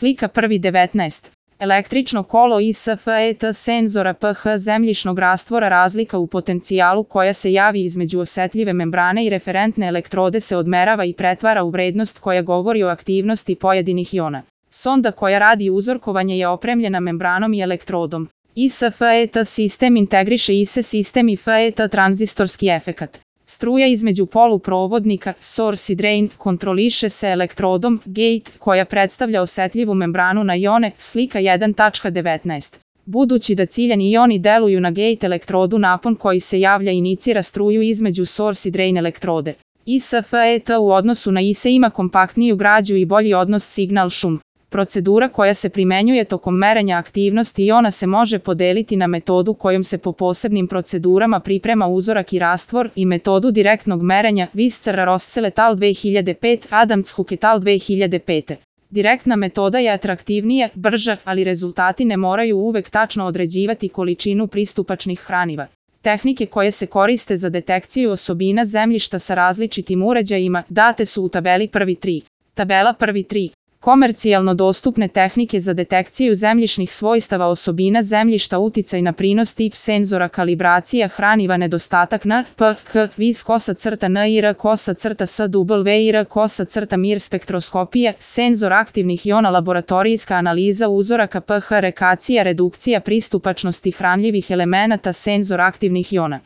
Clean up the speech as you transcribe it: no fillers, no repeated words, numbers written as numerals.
Slika 1.19. Električno kolo ISFET senzora pH zemljišnog rastvora. Razlika u potencijalu koja se javi između osetljive membrane i referentne elektrode se odmerava i pretvara u vrednost koja govori o aktivnosti pojedinih iona. Sonda koja radi uzorkovanje je opremljena membranom i elektrodom. ISFET sistem integriše ISE sistem i FET tranzistorski efekat. Struja između poluprovodnika, source i drain, kontroliše se elektrodom, gate, koja predstavlja osetljivu membranu na ione, slika 1.19. Budući da ciljani ioni deluju na gate elektrodu, napon koji se javlja inicira struju između source i drain elektrode. ISFET u odnosu na ISE ima kompaktniju građu i bolji odnos signal-šum. Procedura koja se primenjuje tokom merenja aktivnosti iona se može podeliti na metodu kojom se po posebnim procedurama priprema uzorak i rastvor i metodu direktnog merenja Visser-Roszel et al. 2005, Adams-Hook et al. 2005. Direktna metoda je atraktivnija, brža, ali rezultati ne moraju uvek tačno određivati količinu pristupačnih hraniva. Tehnike koje se koriste za detekciju osobina zemljišta sa različitim uređajima date su u tabeli 1.3. Tabela 1.3. Komercijalno dostupne tehnike za detekciju zemljišnih svojstava osobina zemljišta, uticaj na prinos, tip senzora, kalibracija hraniva, nedostatak N, P, K, vis _NIR SWIR mir spektroskopija, senzor aktivnih iona, laboratorijska analiza uzoraka pH, rekacija, redukcija pristupačnosti hranljivih elemenata, senzor aktivnih iona.